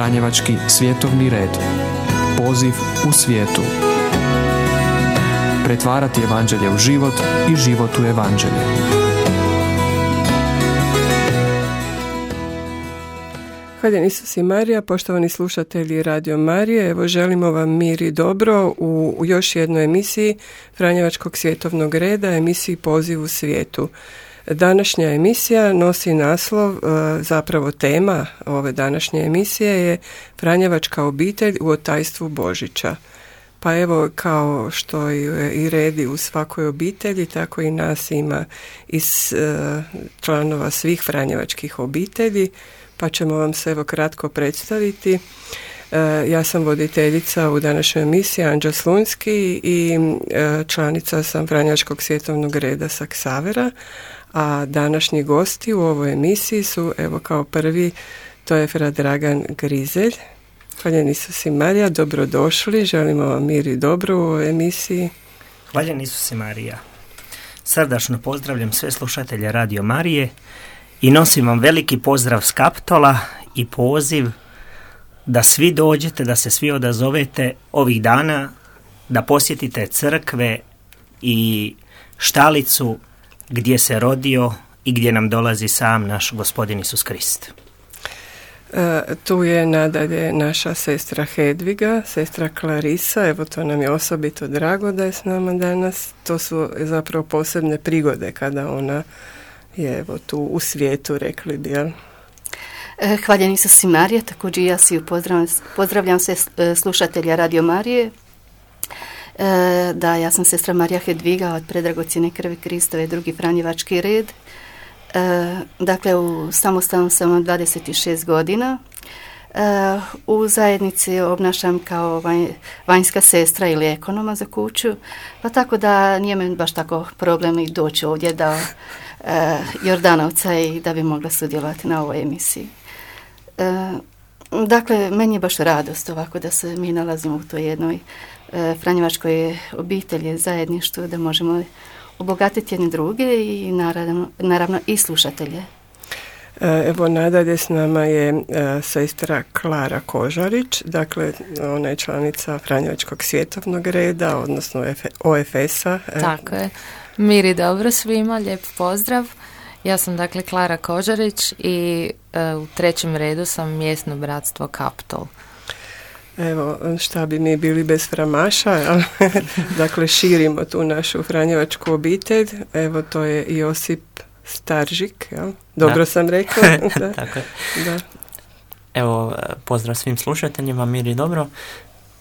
Franjevački svjetovni red. Poziv u svijetu. Pretvarati evanđelje u život i život u evanđelje. Hvaljen Isus i Marija, poštovani slušatelji Radio Marije, evo želimo vam mir i dobro u još jednoj emisiji Franjevačkog svjetovnog reda, emisiji Poziv u svijetu. Današnja emisija nosi naslov, zapravo tema ove današnje emisije je Franjevačka obitelj u otajstvu Božića. Pa evo, kao što je i redi u svakoj obitelji, tako i nas ima iz članova svih franjevačkih obitelji, pa ćemo vam se evo kratko predstaviti. Ja sam voditeljica u današnjoj emisiji, Anđa Slunjski, i članica sam Franjevačkog svjetovnog reda sa Ksavera, a današnji gosti u ovoj emisiji su, evo kao prvi, to je fra Dragan Grizelj. Hvaljen Isus i Marija, dobrodošli, želimo vam mir i dobro u ovoj emisiji. Hvaljen Isus i Marija. Srdačno pozdravljam sve slušatelje Radio Marije i nosim vam veliki pozdrav s Kaptola i poziv da svi dođete, da se svi odazovete ovih dana, da posjetite crkve i štalicu gdje se rodio i gdje nam dolazi sam naš Gospodin Isus Krist. Tu je nadalje naša sestra Hedviga, sestra Klarisa, evo to nam je osobito drago da je s nama danas. To su zapravo posebne prigode kada ona je evo tu u svijetu, rekli bi, jel? Hvaljen Isus i Marija, također ja si pozdravljam sve slušatelja Radio Marije. Da, ja sam sestra Marija Hedviga od Predragocjene krvi Kristove, drugi Franjevački red. Dakle, u samostalnom sam 26 godina. U zajednici obnašam kao vanjska sestra ili ekonoma za kuću, pa tako da nije mi baš tako problem i doći ovdje do Jordanovca i da bi mogla sudjelovati na ovoj emisiji. Dakle, meni je baš radost ovako da se mi nalazimo u toj jednoj franjevačkoj obitelji, zajedništvu, da možemo obogatiti jedne druge i naravno i slušatelje. Evo nadalje s nama je sestra Klara Kožarić, dakle ona je članica Franjevačkog svjetovnog reda, odnosno OFS-a. Tako je. Mir i dobro svima, lijep pozdrav. Ja sam dakle Klara Kožarić i u trećem redu sam mjesno bratstvo Kaptol. Evo, šta bi mi bili bez framaša, dakle širimo tu našu franjevačku obitelj, evo to je Josip Staržik, jel? Dobro sam rekla. Da. Tako je. Da. Evo, pozdrav svim slušateljima, mir i dobro.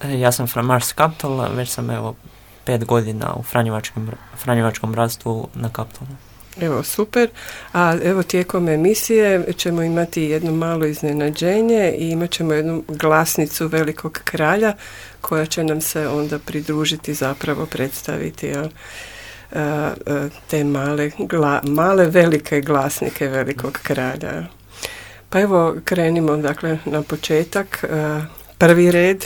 Ja sam framaš s Kaptola, već sam 5 godina u franjevačkom bratstvu na Kaptolu. Evo, super. A evo tijekom emisije ćemo imati jedno malo iznenađenje i imat ćemo jednu glasnicu Velikog kralja koja će nam se onda pridružiti, zapravo predstaviti te male velike glasnike Velikog kralja. Pa evo krenimo dakle na početak. Prvi red,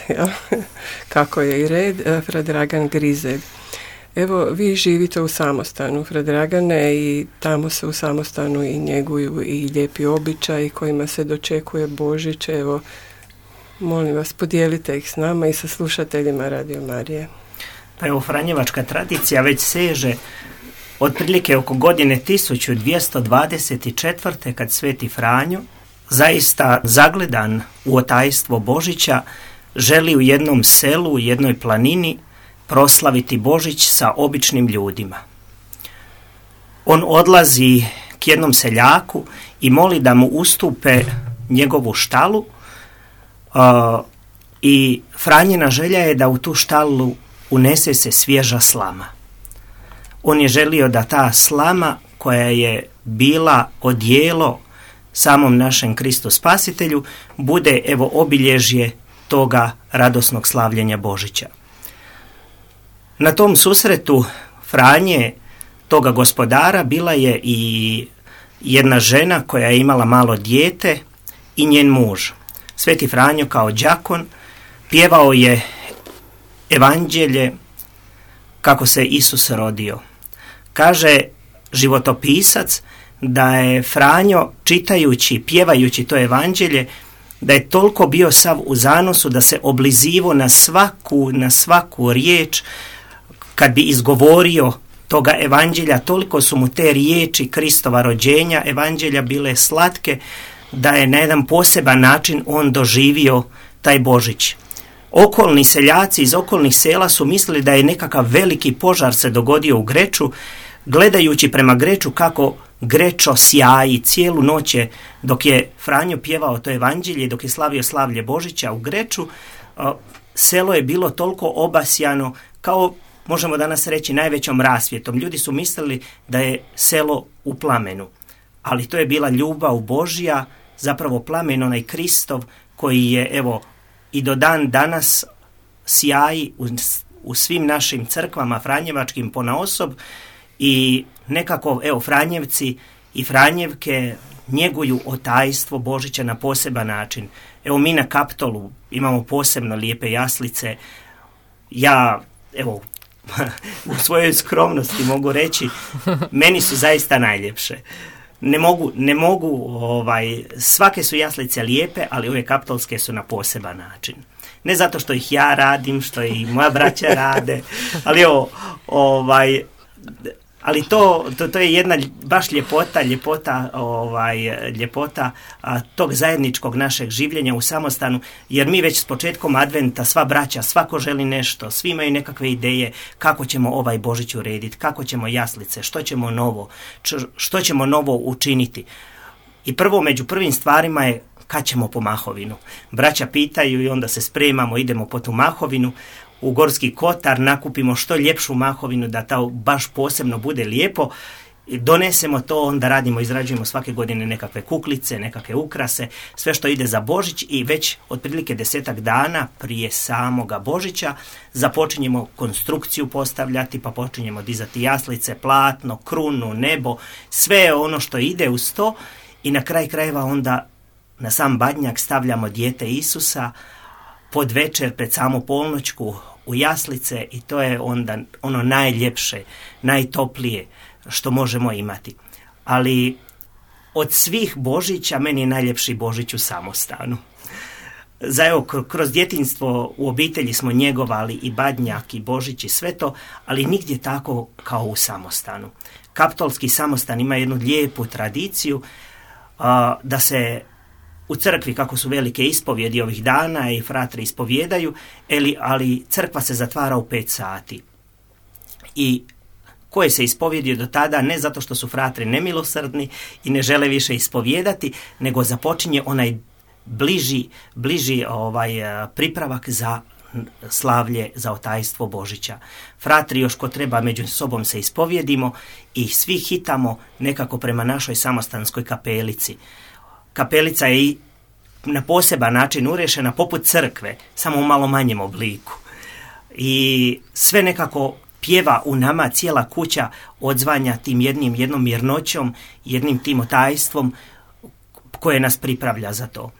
kako je i red, fra Dragan Grizelj. Evo, vi živite u samostanu, fra Dragane, i tamo se u samostanu i njeguju i lijepi običaji kojima se dočekuje Božić. Evo, molim vas, podijelite ih s nama i sa slušateljima Radio Marije. Pa evo, franjevačka tradicija već seže otprilike oko godine 1224. kad Sveti Franjo, zaista zagledan u otajstvo Božića, želi u jednom selu, u jednoj planini proslaviti Božić sa običnim ljudima. On odlazi k jednom seljaku i moli da mu ustupe njegovu štalu i Franjina želja je da u tu štalu unese se svježa slama. On je želio da ta slama koja je bila odijelo samom našem Kristu Spasitelju bude evo obilježje toga radosnog slavljenja Božića. Na tom susretu Franje, toga gospodara, bila je i jedna žena koja je imala malo dijete i njen muž. Sveti Franjo kao đakon pjevao je evanđelje kako se Isus rodio. Kaže životopisac da je Franjo čitajući, pjevajući to evanđelje, da je toliko bio sav u zanosu da se oblizivo na svaku riječ kad bi izgovorio toga evanđelja, toliko su mu te riječi Kristova rođenja, evanđelja bile slatke, da je na jedan poseban način on doživio taj Božić. Okolni seljaci iz okolnih sela su mislili da je nekakav veliki požar se dogodio u Greču, gledajući prema Greču kako Grečo sjaji cijelu noć dok je Franjo pjevao to evanđelje, dok je slavio slavlje Božića u Greču, selo je bilo toliko obasjano kao, možemo danas reći, najvećom rasvjetom. Ljudi su mislili da je selo u plamenu, ali to je bila ljubav Božja, zapravo plamen onaj Kristov koji je, evo, i do dan danas sjaji u svim našim crkvama franjevačkim ponaosob i nekako, evo, Franjevci i Franjevke njeguju otajstvo Božića na poseban način. Evo, mi na Kaptolu imamo posebno lijepe jaslice. Ja, evo, u svojoj skromnosti mogu reći, meni su zaista najljepše. Ne mogu, svake su jaslice lijepe, ali ove kaptolske su na poseban način. Ne zato što ih ja radim, što i moja braća rade, ali ali to je jedna baš ljepota tog zajedničkog našeg življenja u samostanu, jer mi već s početkom adventa, sva braća, svako želi nešto, svi imaju nekakve ideje kako ćemo ovaj Božić urediti, kako ćemo jaslice, što ćemo novo učiniti. I među prvim stvarima je kad ćemo po mahovinu. Braća pitaju i onda se spremamo, idemo po tu mahovinu, u Gorski Kotar, nakupimo što ljepšu mahovinu da to baš posebno bude lijepo, donesemo to, onda izrađujemo svake godine nekakve kuklice, nekakve ukrase, sve što ide za Božić i već otprilike 10 dana prije samoga Božića započinjemo konstrukciju postavljati, pa počinjemo dizati jaslice, platno, krunu, nebo, sve ono što ide uz to i na kraj krajeva onda na sam badnjak stavljamo dijete Isusa pod večer pred samu polnoćku u jaslice i to je onda ono najljepše, najtoplije što možemo imati. Ali od svih Božića meni je najljepši Božić u samostanu. Kroz djetinjstvo u obitelji smo njegovali i badnjak i Božić i sve to, ali nigdje tako kao u samostanu. Kaptolski samostan ima jednu lijepu tradiciju da se u crkvi, kako su velike ispovjedi ovih dana i fratri ispovjedaju, ali crkva se zatvara u 5 sati. I koje se ispovjedio do tada, ne zato što su fratri nemilosrdni i ne žele više ispovjedati, nego započinje onaj bliži pripravak za slavlje, za otajstvo Božića. Fratri još ko treba među sobom se ispovjedimo i svi hitamo nekako prema našoj samostanskoj kapelici. Kapelica je i na poseban način urešena poput crkve, samo u malo manjem obliku. I sve nekako pjeva u nama, cijela kuća odzvanja tim jednom mirnoćom, jednim tim otajstvom koje nas pripravlja za to.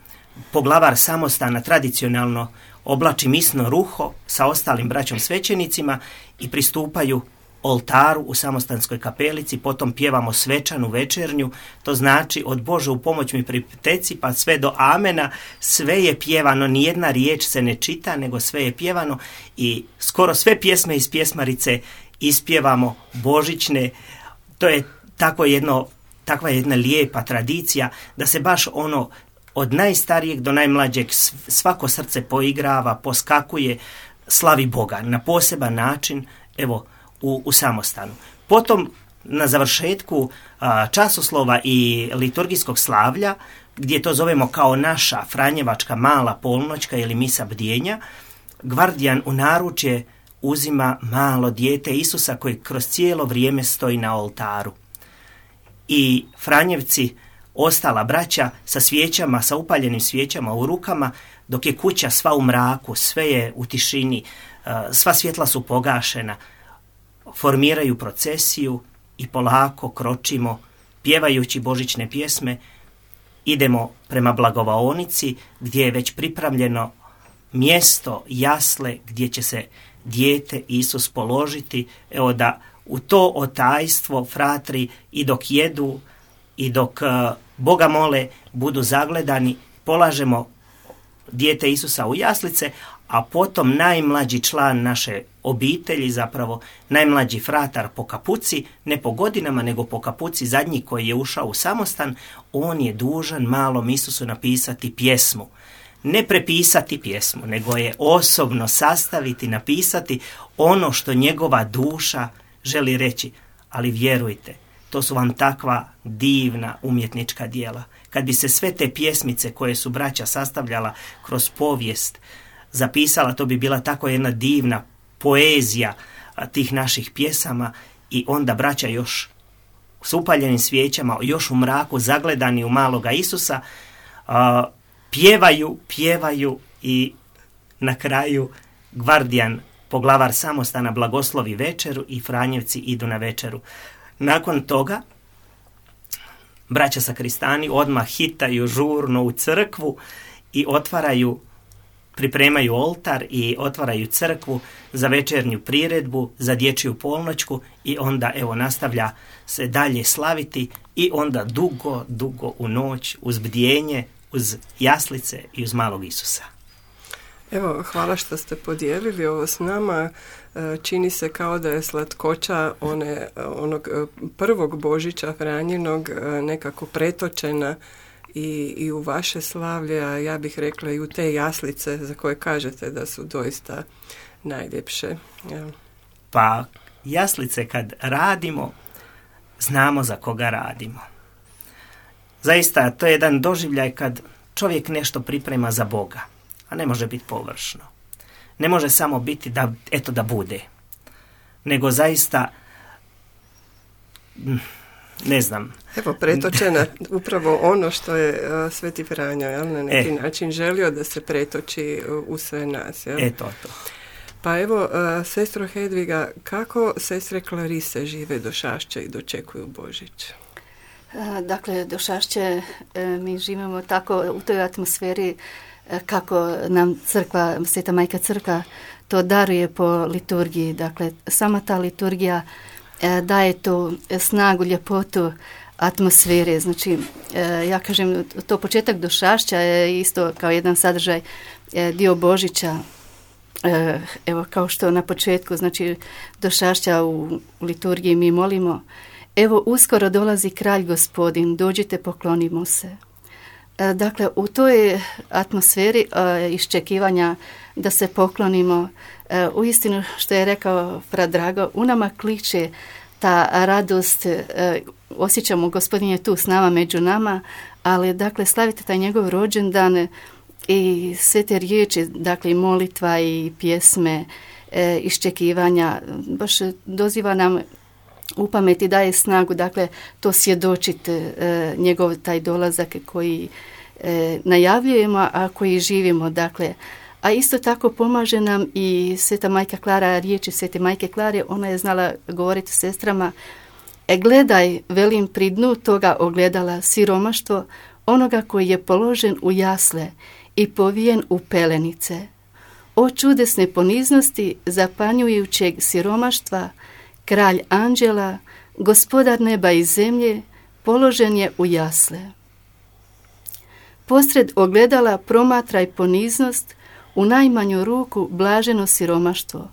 Poglavar samostana tradicionalno oblači misno ruho sa ostalim braćom svećenicima i pristupaju oltaru u samostanskoj kapelici, potom pjevamo svečanu večernju, to znači od Bože u pomoć mi pripteci pa sve do amena, sve je pjevano, nijedna riječ se ne čita, nego sve je pjevano i skoro sve pjesme iz pjesmarice ispjevamo božićne. To je takva jedna lijepa tradicija da se baš od najstarijeg do najmlađeg svako srce poigrava, poskakuje, slavi Boga na poseban način, evo, u samostanu. Potom na završetku časoslova i liturgijskog slavlja, gdje to zovemo kao naša franjevačka mala polnoćka ili misa bdjenja, gvardijan u naručje uzima malo dijete Isusa koji kroz cijelo vrijeme stoji na oltaru. I Franjevci, ostala braća sa svijećama, sa upaljenim svijećama u rukama, dok je kuća sva u mraku, sve je u tišini, sva svjetla su pogašena, formiraju procesiju i polako kročimo, pjevajući božićne pjesme, idemo prema blagovaonici gdje je već pripremljeno mjesto, jasle, gdje će se dijete Isus položiti. Evo da u to otajstvo fratri i dok jedu i dok Boga mole budu zagledani, polažemo dijete Isusa u jaslice, a potom najmlađi član naše obitelji, zapravo najmlađi fratar po kapuci, ne po godinama, nego po kapuci, zadnji koji je ušao u samostan, on je dužan malom Isusu napisati pjesmu. Ne prepisati pjesmu, nego je osobno sastaviti, napisati ono što njegova duša želi reći. Ali vjerujte, to su vam takva divna umjetnička djela. Kad bi se sve te pjesmice koje su braća sastavljala kroz povijest zapisala, to bi bila tako jedna divna poezija tih naših pjesama, i onda braća još s upaljenim svijećama, još u mraku, zagledani u maloga Isusa, pjevaju i na kraju gvardijan, poglavar samostana, blagoslovi večeru i Franjevci idu na večeru. Nakon toga braća sakristani odmah hitaju žurno u crkvu i pripremaju oltar i otvaraju crkvu za večernju priredbu, za dječju polnoćku, i onda nastavlja se dalje slaviti, i onda dugo u noć uz bdjenje, uz jaslice i uz malog Isusa. Evo, hvala što ste podijelili ovo s nama. Čini se kao da je slatkoća onog prvog Božića Franjinog nekako pretočena i u vaše slavlje, a ja bih rekla i u te jaslice za koje kažete da su doista najljepše. Ja. Pa jaslice kad radimo, znamo za koga radimo. Zaista, to je jedan doživljaj kad čovjek nešto priprema za Boga, a ne može biti površno. Ne može samo biti da bude, nego zaista, ne znam. Evo, pretočena upravo ono što je Sveti Franjo, na neki način želio da se pretoči u sve nas. Jel? To. Pa evo, sestro Hedviga, kako sestre Klarise žive Došašće i dočekuju Božić? Dakle, Došašće mi živimo tako u toj atmosferi kako nam crkva, Sveta Majka Crkva to daruje po liturgiji. Dakle, sama ta liturgija daje tu snagu, ljepotu atmosfere. Znači, ja kažem, to početak Došašća je isto kao jedan sadržaj dio Božića. Evo, kao što na početku, znači, Došašća u liturgiji mi molimo: evo, uskoro dolazi kralj Gospodin, dođite, poklonimo se. Dakle, u toj atmosferi iščekivanja da se poklonimo, uistinu, što je rekao fra Drago, u nama kliče ta radost, osjećamo Gospodin je tu s nama, među nama, ali dakle slavite taj njegov rođendan i sve te riječi, dakle i molitva i pjesme, iščekivanja, baš doziva nam u pameti, daje snagu, dakle to svjedočiti njegov taj dolazak koji najavljujemo, a koji živimo, dakle. A isto tako pomaže nam i Sveta Majka Klara, riječi Svete Majke Klare, ona je znala govoriti sestrama: gledaj, velim, pri dnu toga ogledala siromaštvo onoga koji je položen u jasle i povijen u pelenice. O čudesne poniznosti zapanjujućeg siromaštva, kralj anđela, gospodar neba i zemlje, položen je u jasle. Posred ogledala promatraj poniznost, u najmanju ruku blaženo siromaštvo,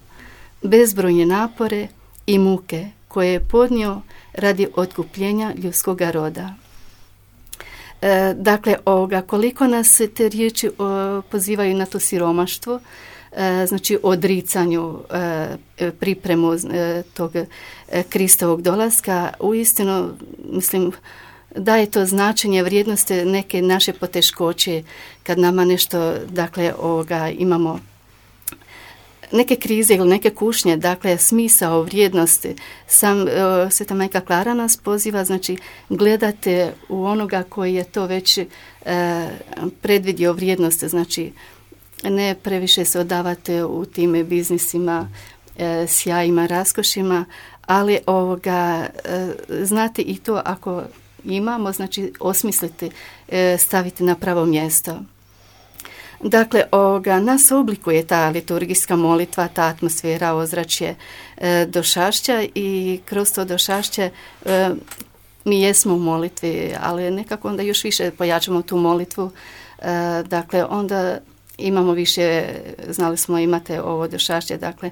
bezbrojne napore i muke koje je podnio radi otkupljenja ljudskoga roda. Dakle, koliko nas te riječi pozivaju na to siromaštvo, znači odricanju, pripremu tog Kristovog dolaska, uistinu, mislim, daje to značenje, vrijednosti neke naše poteškoće, kad nama nešto, dakle, imamo neke krize ili neke kušnje, dakle, smisao, vrijednosti. Sam Sveta Majka Klara nas poziva, znači, gledate u onoga koji je to već predvidio vrijednosti, znači, ne previše se odavate u tim biznisima, sjajima, raskošima, ali znate i to ako imamo, znači osmisliti, staviti na pravo mjesto. Dakle, nas oblikuje ta liturgijska molitva, ta atmosfera, ozračje Došašća, i kroz to Došašće mi jesmo u molitvi, ali nekako onda još više pojačamo tu molitvu. Dakle, onda imamo više, znali smo imate ovo došašće, dakle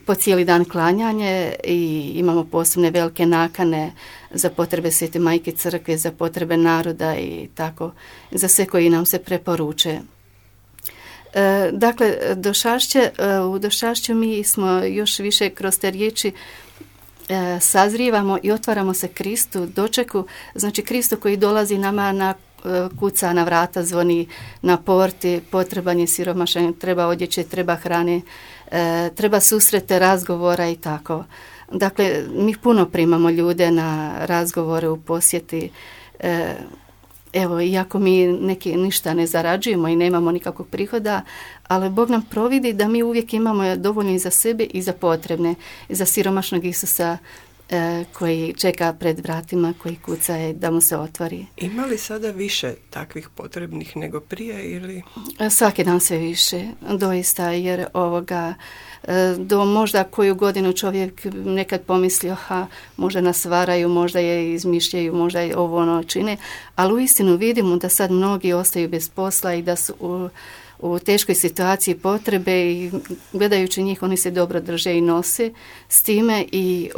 po cijeli dan klanjanje i imamo posebne velike nakane za potrebe Svete Majke Crkve, za potrebe naroda i tako, za sve koji nam se preporuče. Dakle, u došašću mi smo još više kroz te riječi sazrijevamo i otvaramo se Kristu, dočeku, znači Kristu koji dolazi nama kuca na vrata, zvoni na porti, potreban je siromašan, treba odjeće, treba hrane, treba susrete, razgovora i tako. Dakle, mi puno primamo ljude na razgovore u posjeti. Evo, iako mi ništa ne zarađujemo i nemamo nikakvog prihoda, ali Bog nam providi da mi uvijek imamo dovoljno i za sebe i za potrebne, i za siromašnog Isusa koji čeka pred vratima, koji kuca da mu se otvori. Ima li sada više takvih potrebnih nego prije ili? Svaki dan sve više, doista, jer do možda koju godinu čovjek nekad pomislio, možda nas varaju, možda je izmišljaju, možda je ovo ono čine, ali uistinu vidimo da sad mnogi ostaju bez posla i da su u teškoj situaciji potrebe i gledajući njih oni se dobro drže i nose s time i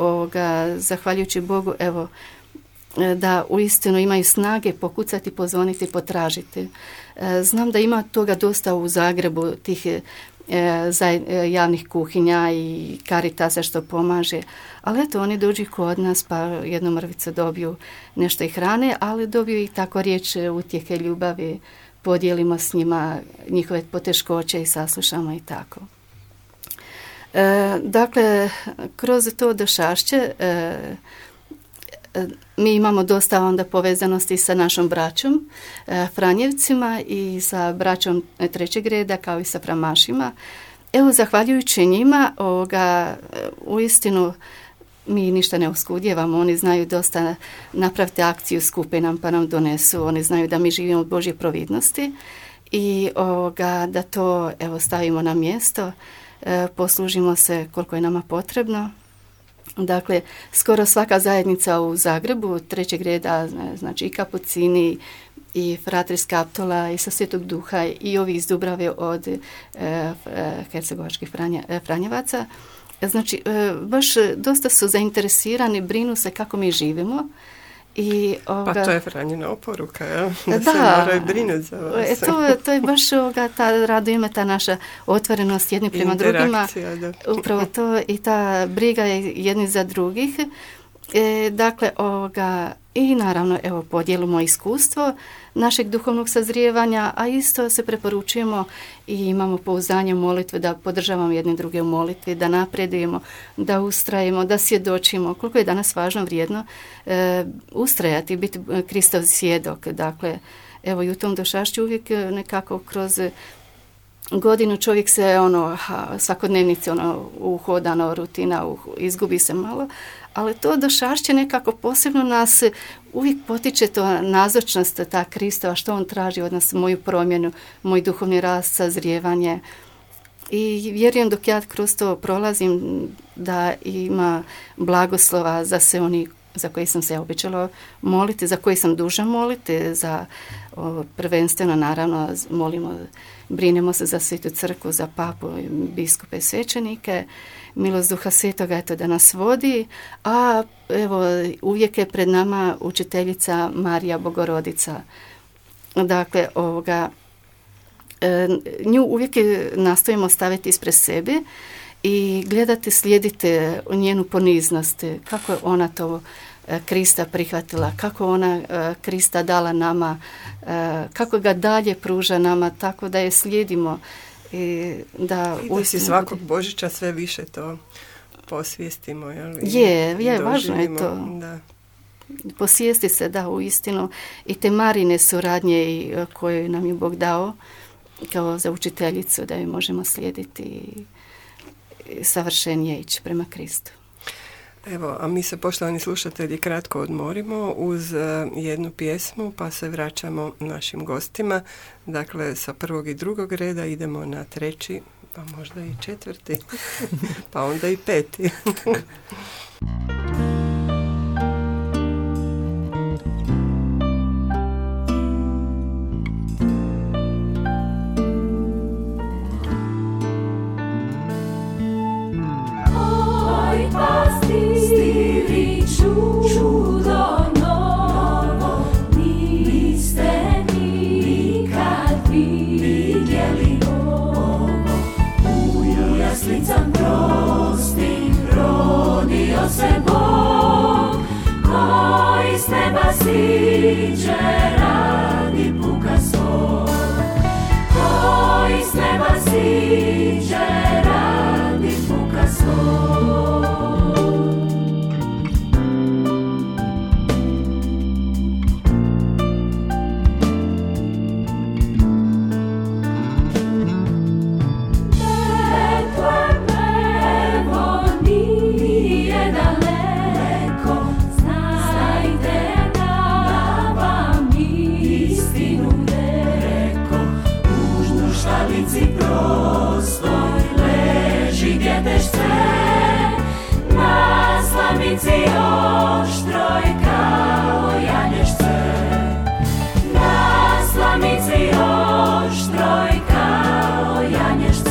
zahvaljujući Bogu evo da uistinu imaju snage pokucati, pozvoniti, potražiti. Znam da ima toga dosta u Zagrebu tih javnih kuhinja i Caritasa što pomaže, ali eto oni dođu kod nas pa jednu mrvicu dobiju nešto i hrane, ali dobiju i tako riječ utjehe, ljubavi, podijelimo s njima njihove poteškoće i saslušamo i tako. Dakle, kroz to došašće mi imamo dosta onda povezanosti sa našom braćom, Franjevcima i sa braćom trećeg reda kao i sa Framašima. Evo, zahvaljujući njima, uistinu mi ništa ne oskudjevamo, oni znaju dosta napraviti akciju, skupe nam pa nam donesu, oni znaju da mi živimo od Božje providnosti i da to evo stavimo na mjesto, poslužimo se koliko je nama potrebno. Dakle, skoro svaka zajednica u Zagrebu, trećeg reda, znači i Kapucini, i Fratri Skaptola, i sa Svetog Duha, i ovi iz Dubrave od hercegovačkih Franjevaca, znači, baš dosta su zainteresirani, brinu se kako mi živimo. Pa to je Franjina oporuka, ja? Da se moraju brinuti za vas. To je baš radujeme, ta naša otvorenost jedni prema drugima. Da. Upravo to i ta briga jedni za drugih. Dakle, i naravno, evo, podijelimo iskustvo našeg duhovnog sazrijevanja, a isto se preporučujemo i imamo pouzdanje u molitve, da podržavamo jedni druge u molitvi, da napredujemo, da ustrajemo, da svjedočimo. Koliko je danas važno, vrijedno ustrajati, biti Kristov svjedok. Dakle, evo i u tom došašću uvijek nekako kroz godinu čovjek se svakodnevnice uhodano, rutina, izgubi se malo, ali to došašće nekako posebno nas uvijek potiče to nazočnost, ta Kristova, što on traži od nas, moju promjenu, moj duhovni rast, sazrijevanje. I vjerujem dok ja kroz to prolazim da ima blagoslova za sve oni za koji sam se običala moliti, za koji sam dužna moliti, za prvenstveno naravno brinemo se za Svetu crkvu, za papu, biskupe, svećenike, milost Duha Svetoga eto da nas vodi, a evo uvijek je pred nama učiteljica Marija Bogorodica. Dakle, nju uvijek nastojimo staviti ispred sebe i gledati, slijediti njenu poniznost, kako je ona to Krista prihvatila, kako ona Krista dala nama, kako ga dalje pruža nama, tako da je slijedimo. I da si svakog Božića sve više to posvijestimo. Je, važno je to. Da. Posvijesti se, da, uistinu. I te Marine suradnje koje nam je Bog dao kao za učiteljicu, da ju možemo slijediti i savršenije ići prema Kristu. Evo, a mi se, poštovani slušatelji, kratko odmorimo uz jednu pjesmu, pa se vraćamo našim gostima. Dakle, sa prvog i drugog reda idemo na treći, pa možda i četvrti, pa onda i peti. siđe radi puka svog, koji s neba siđe radi puka svog. Na slamici oštroj kao janješce, na slamici oštroj kao janješce.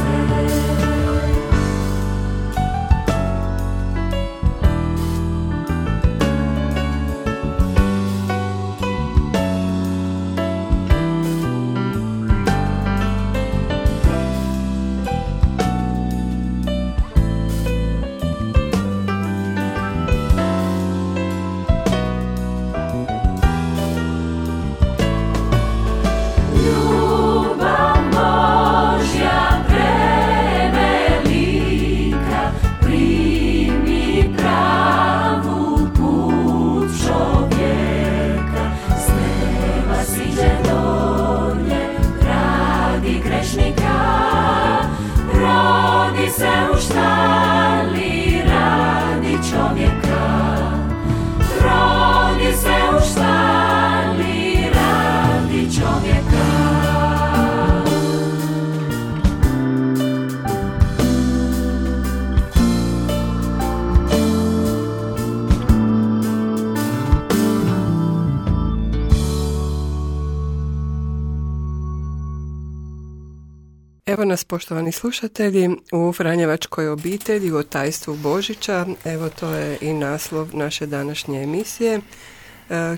Evo nas, poštovani slušatelji, u Franjevačkoj obitelji, u tajstvu Božića. Evo, to je i naslov naše današnje emisije.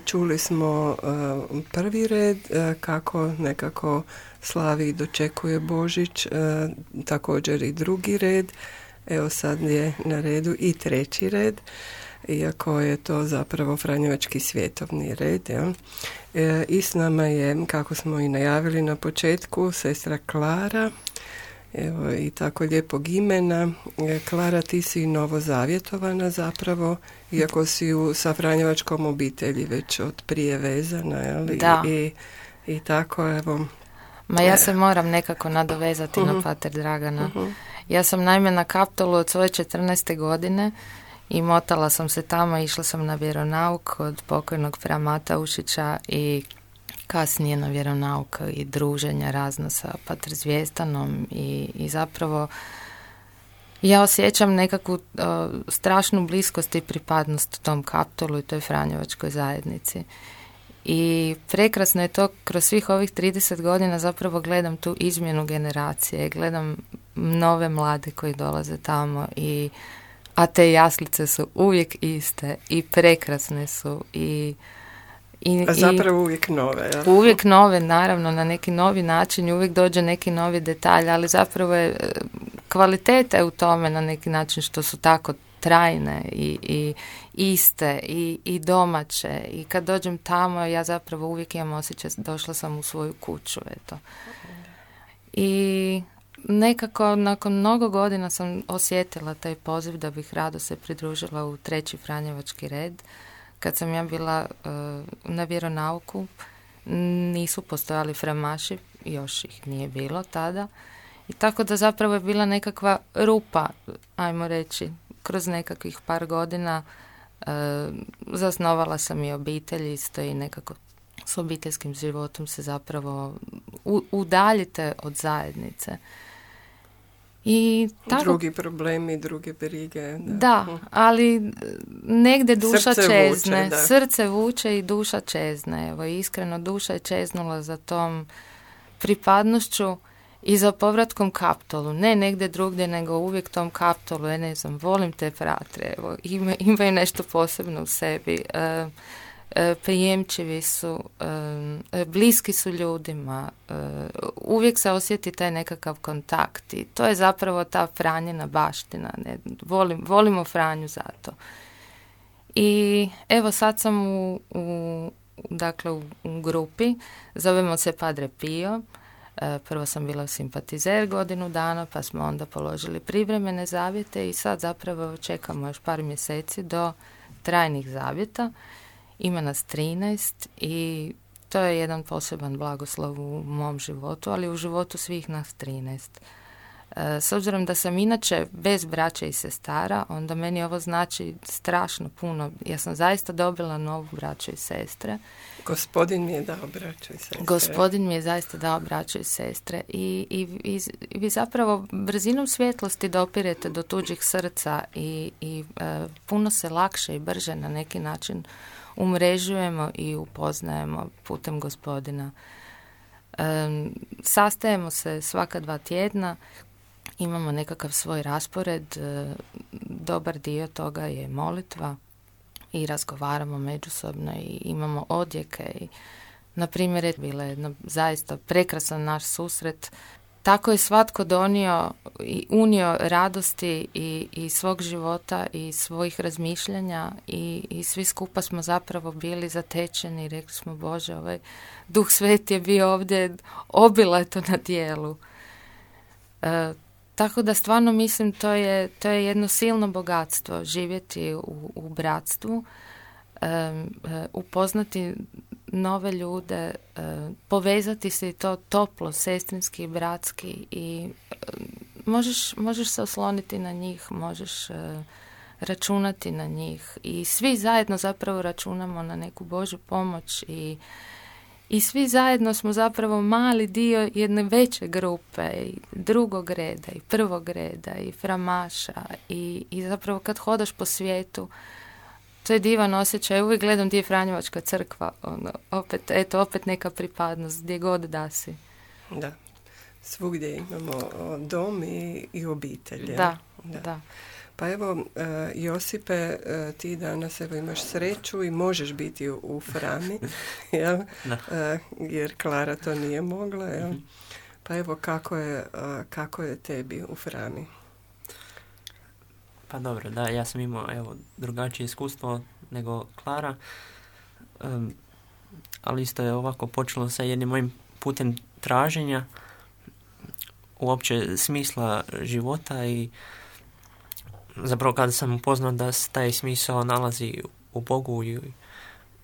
Čuli smo prvi red, kako nekako slavi i dočekuje Božić, također i drugi red. Evo, sad je na redu i treći red, iako je to zapravo Franjevački svjetovni red. Ja? I s nama je, kako smo i najavili na početku, sestra Klara. Evo, i tako lijepog imena. Klara, ti si novozavjetovana zapravo, iako si sa Franjevačkom obitelji već od prije vezana, jel? Da. I tako, evo. Ma ja se moram nekako nadovezati na pater Dragana. Ja sam naime na Kaptolu od svoje 14. godine i motala sam se tamo, išla sam na vjeronauk od pokojnog fra Mataušića i kasnije na vjeronauk i druženja razno sa pater Zvijestanom i zapravo ja osjećam nekakvu strašnu bliskost i pripadnost tom Kaptolu i toj Franjevačkoj zajednici. I prekrasno je to, kroz svih ovih 30 godina zapravo gledam tu izmjenu generacije, gledam nove mlade koji dolaze tamo a te jaslice su uvijek iste i prekrasne su a zapravo uvijek nove. Ja? Uvijek nove, naravno, na neki novi način, uvijek dođe neki novi detalj, ali zapravo je kvaliteta u tome na neki način što su tako trajne i iste i domaće, i kad dođem tamo ja zapravo uvijek imam osjećaj došla sam u svoju kuću, eto. I nekako nakon mnogo godina sam osjetila taj poziv da bih rado se pridružila u treći Franjevački red. Kad sam ja bila na vjeronauku, nisu postojali fremaši, još ih nije bilo tada, i tako da zapravo je bila nekakva rupa, ajmo reći, kroz nekakvih par godina. Zasnovala sam i obitelj isto i nekako s obiteljskim životom se zapravo udaljite od zajednice. I tako, drugi problemi, druge brige. Da, ali negdje duša srce čezne. vuče, Srce vuče i duša čezne. Evo, iskreno, duša je čeznula za tom pripadnošću i za povratkom Kaptolu. Ne negdje drugdje, nego uvijek tom Kaptolu. Ja ne znam, volim te fratre. Evo, imaju nešto posebno u sebi. Prijemčivi su, bliski su ljudima, uvijek se osjeti taj nekakav kontakt i to je zapravo ta Franjina baština. Ne? Volimo Franju zato. I evo sad sam dakle u grupi, zovemo se Padre Pio. Prvo sam bila simpatizer godinu dana, pa smo onda položili privremene zavjete i sad zapravo čekamo još par mjeseci do trajnih zavjeta. Ima nas 13 i to je jedan poseban blagoslov u mom životu, ali u životu svih nas 13. S obzirom da sam inače bez braće i sestara, onda meni ovo znači strašno puno. Ja sam zaista dobila novu braću i sestre. Gospodin mi je dao braću i sestre. Gospodin mi je zaista dao braću i sestre. I vi zapravo brzinom svjetlosti dopirete do tuđih srca i puno se lakše i brže na neki način umrežujemo i upoznajemo putem Gospodina. Sastajemo se svaka 2 tjedna, imamo nekakav svoj raspored, dobar dio toga je molitva i razgovaramo međusobno i imamo odjeke. I, na primjer, je bila jedna zaista prekrasan naš susret. Tako je svatko donio i unio radosti i svog života i svojih razmišljanja i svi skupa smo zapravo bili zatečeni i rekli smo, Bože, ovaj Duh Sveti je bio ovdje obilato na dijelu. Tako da stvarno mislim to je jedno silno bogatstvo živjeti u bratstvu, upoznati nove ljude, povezati se i to toplo, sestrinski, bratski i možeš se osloniti na njih, možeš računati na njih i svi zajedno zapravo računamo na neku Božju pomoć i svi zajedno smo zapravo mali dio jedne veće grupe, i drugog reda, i prvog reda, i framaša, i zapravo kad hodaš po svijetu, to je divan osjećaj. Uvijek gledam gdje je Franjevačka crkva, opet neka pripadnost, gdje god da si. Da, svugdje imamo dom i obitelj. Da. Pa evo, Josipe, ti danas imaš sreću i možeš biti u Frami, jel? Jer Klara to nije mogla. Jel? Pa evo, kako je tebi u Frami? Pa dobro, da, ja sam imao drugačije iskustvo nego Klara, ali isto je ovako počelo sa jednim mojim putem traženja uopće smisla života i zapravo kada sam upoznao da taj smisao nalazi u Bogu i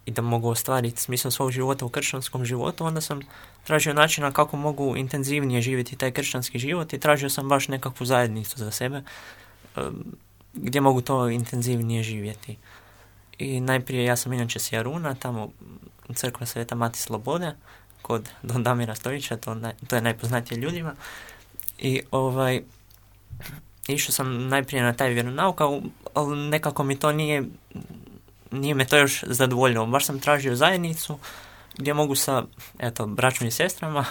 da mogu ostvariti smisao svog života u kršćanskom životu, onda sam tražio načina kako mogu intenzivnije živjeti taj kršćanski život i tražio sam baš nekakvu zajednicu za sebe gdje mogu to intenzivnije živjeti. I najprije ja sam inače s Jaruna, tamo crkva Sveta Mati Slobode, kod Don Damira Stojića, to je najpoznatije ljudima. I išao sam najprije na taj vjeronauk, ali nekako mi to nije me to još zadovoljilo. Baš sam tražio zajednicu gdje mogu sa braćom i sestrama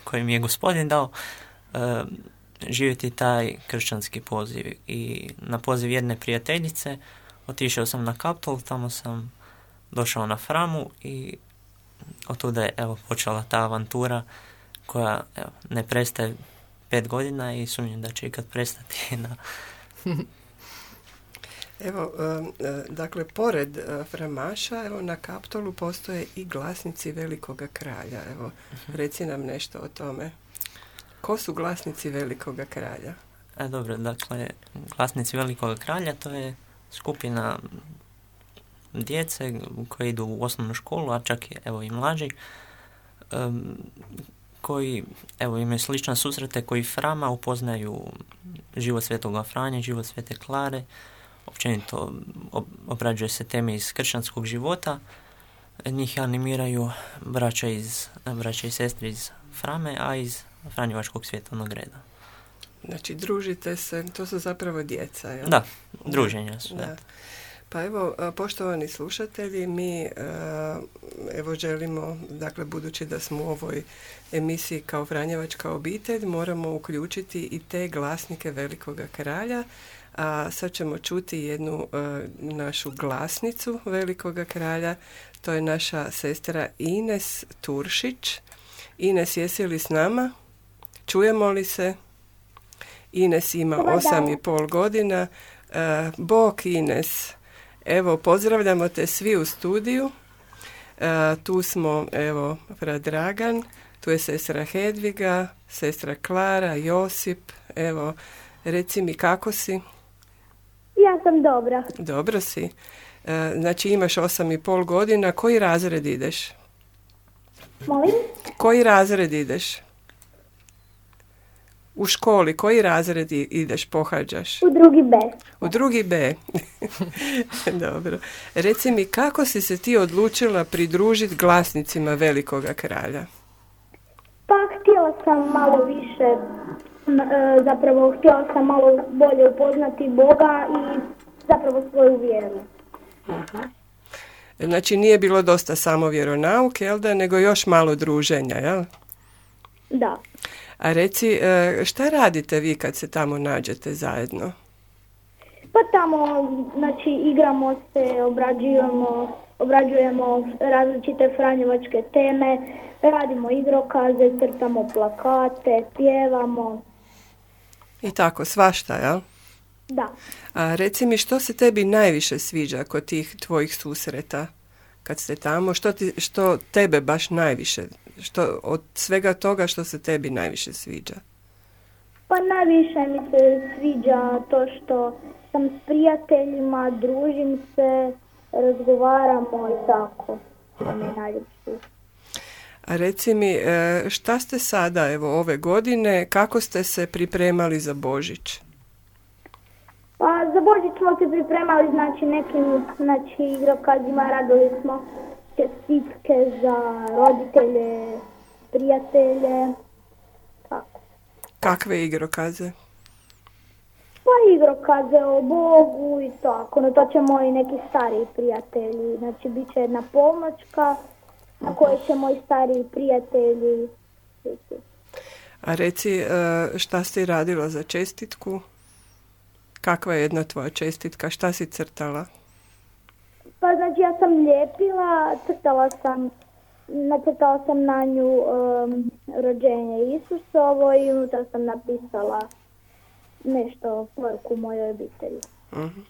koje mi je Gospodin dao živjeti taj kršćanski poziv. I na poziv jedne prijateljice otišao sam na Kaptol, tamo sam došao na Framu i otuda je počela ta avantura koja ne prestaje 5 godina i sumnjam da će ikad prestati. Evo, dakle, pored Framaša, na Kaptolu postoje i glasnici Velikoga kralja. Evo, reci nam nešto o tome. Ko su glasnici Velikoga kralja? Dobro, dakle, glasnici Velikoga kralja to je skupina djece koji idu u osnovnu školu, a čak i mlađi, koji imaju slične susrete koji Frama upoznaju život Svetoga Franje, život Svete Klare, općenito obrađuje se teme iz kršćanskog života, njih animiraju braća i sestre iz Frame, a iz Franjevačkog svjetovnog reda. Znači, družite se, to su zapravo djeca, jel? Da, druženja su. Da. Pa evo, poštovani slušatelji, mi želimo, dakle, budući da smo u ovoj emisiji kao Franjevačka obitelj, moramo uključiti i te glasnike Velikoga kralja, a sad ćemo čuti jednu našu glasnicu Velikoga kralja, to je naša sestra Ines Turšić. Ines, jesi li s nama? Čujemo li se? Ines ima 8,5 godina. Bog, Ines. Evo, pozdravljamo te svi u studiju. Tu smo, evo, brat Dragan, tu je sestra Hedviga, sestra Klara, Josip. Evo, reci mi kako si? Ja sam dobra. Dobro si. Znači imaš 8,5 godina. Koji razred ideš? Molim? Koji razred ideš? U školi, koji razred ideš, pohađaš? U drugi B. U drugi B. Dobro. Reci mi, kako si se ti odlučila pridružiti glasnicima Velikoga kralja? Pa htjela sam malo više, zapravo htjela sam malo bolje upoznati Boga i zapravo svoju vjeru. Znači nije bilo dosta samo vjeronauke, jel da, nego još malo druženja, jel? Da. A reci, šta radite vi kad se tamo nađete zajedno? Pa tamo, znači, igramo se, obrađujemo različite franjevačke teme, radimo igrokaze, crtamo plakate, pjevamo. I tako, svašta, jel? Da. A reci mi, što se tebi najviše sviđa kod tih tvojih susreta kad ste tamo? Što tebe baš najviše, od svega toga što se tebi najviše sviđa? Pa najviše mi se sviđa to što sam s prijateljima, družim se, razgovaramo i tako. To mi je najljepše. A reci mi, šta ste sada, evo, ove godine, kako ste se pripremali za Božić? Pa za Božić smo se pripremali, znači, nekim igrokazima, radili smo čestitke za roditelje, prijatelje, tako. Kakve igrokaze? Pa igrokaze o Bogu i tako, no to će moji neki stariji prijatelji, znači bit će jedna polnoćka na kojoj će moji stariji prijatelji biti. A reci, šta si radila za čestitku? Kakva je jedna tvoja čestitka? Šta si crtala? Pa znači ja sam lijepila, nacrtala sam na nju rođenje Isusovo i unutra sam napisala nešto poruku mojoj obitelji. Uh-huh.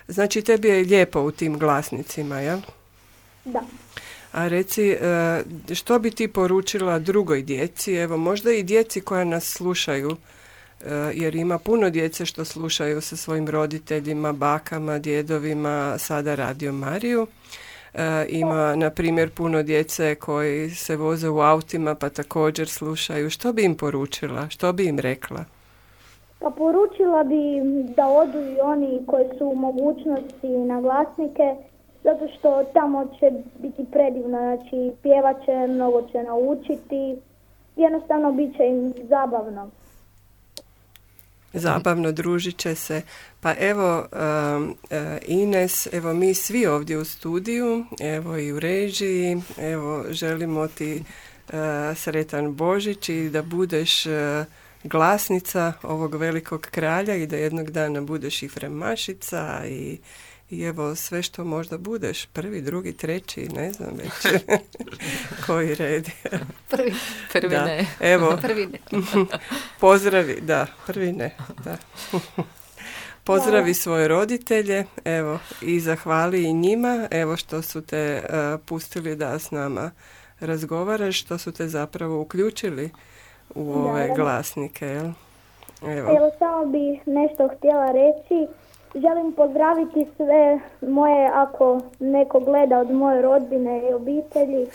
Znači tebi je lijepo u tim glasnicima, jel? Da. A reci, što bi ti poručila drugoj djeci, evo možda i djeci koja nas slušaju, jer ima puno djece što slušaju sa svojim roditeljima, bakama, djedovima, sada Radio Mariju. Ima, na primjer, puno djece koji se voze u autima pa također slušaju. Što bi im poručila? Što bi im rekla? Pa poručila bi da odu i oni koji su u mogućnosti na glasnike, zato što tamo će biti predivno, znači pjevat će, mnogo će naučiti, jednostavno bit će im zabavno. Zabavno, družit će se. Pa evo, Ines, evo mi svi ovdje u studiju, evo i u režiji, evo želimo ti sretan Božić i da budeš glasnica ovog velikog kralja i da jednog dana budeš i fremašica i evo sve što možda budeš, 1., 2., 3., ne znam već koji red. Prvi da. ne. Evo, Prvi ne. pozdravi, da, prvi ne, da. Pozdravi svoje roditelje, evo, i zahvali i njima, evo što su te pustili da s nama razgovaraš, što su te zapravo uključili u ove glasnike, jel? Evo, samo bih nešto htjela reći. Želim pozdraviti sve moje, ako neko gleda od moje rodbine i obitelji,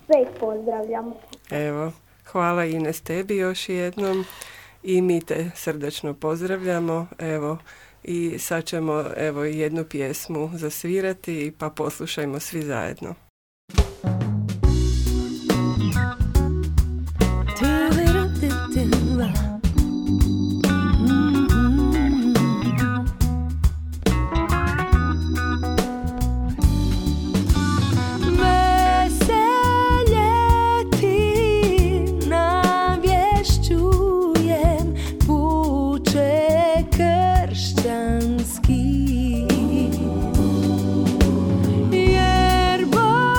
sve ih pozdravljam. Evo, hvala Ines tebi još jednom i mi te srdačno pozdravljamo, evo, i sad ćemo, evo, jednu pjesmu zasvirati pa poslušajmo svi zajedno. Jer Bog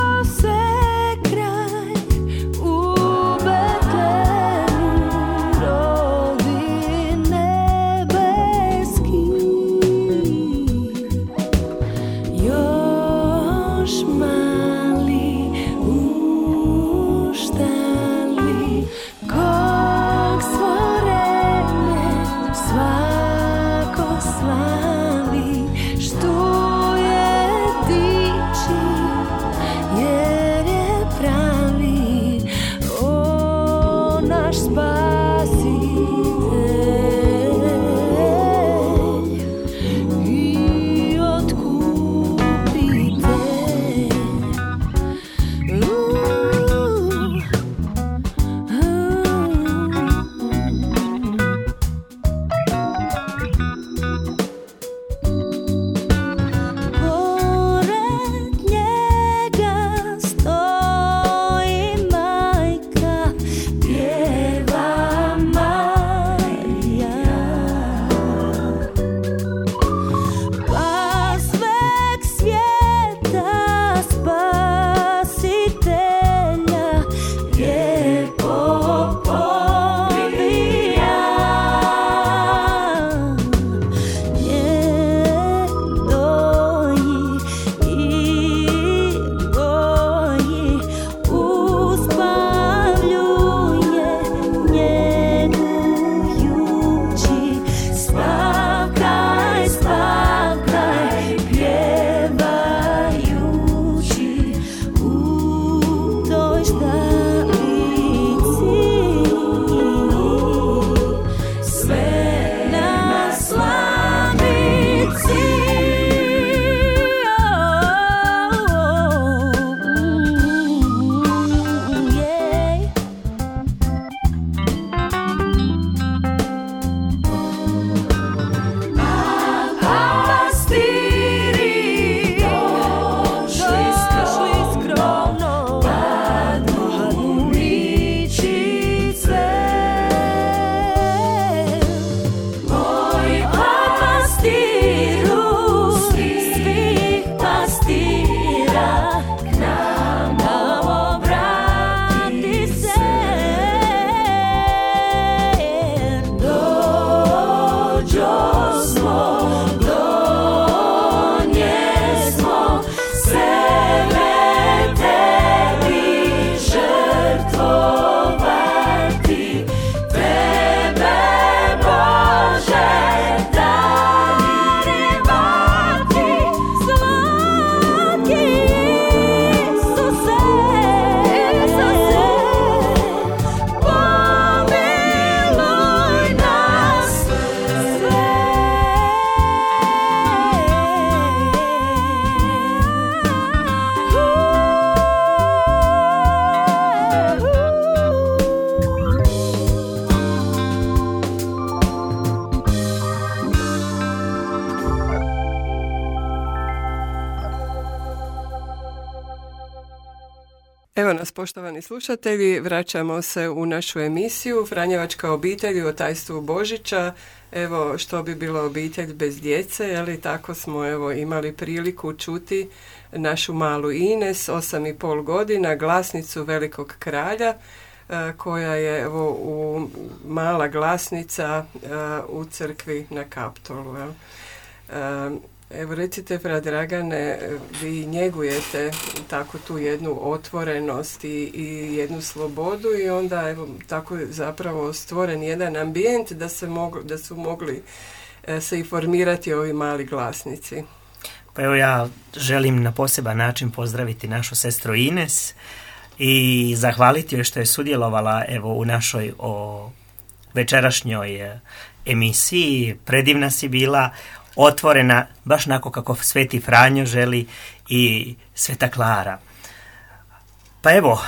vas, poštovani slušatelji. Vraćamo se u našu emisiju Franjevačka obitelj u tajstvu Božića. Evo, što bi bila obitelj bez djece, je li? Tako smo imali priliku čuti našu malu Ines, 8,5 godina, glasnicu Velikog kralja, koja je mala glasnica u crkvi na Kaptolu. Evo, recite, fra Dragane, vi njegujete tako tu jednu otvorenost i jednu slobodu i onda tako je zapravo stvoren jedan ambijent da su mogli se i formirati ovi mali glasnici. Pa evo, ja želim na poseban način pozdraviti našu sestru Ines i zahvaliti joj što je sudjelovala u našoj večerašnjoj emisiji. Predivna si bila, otvorena, baš onako kako Sveti Franjo želi i Sveta Klara. Pa evo,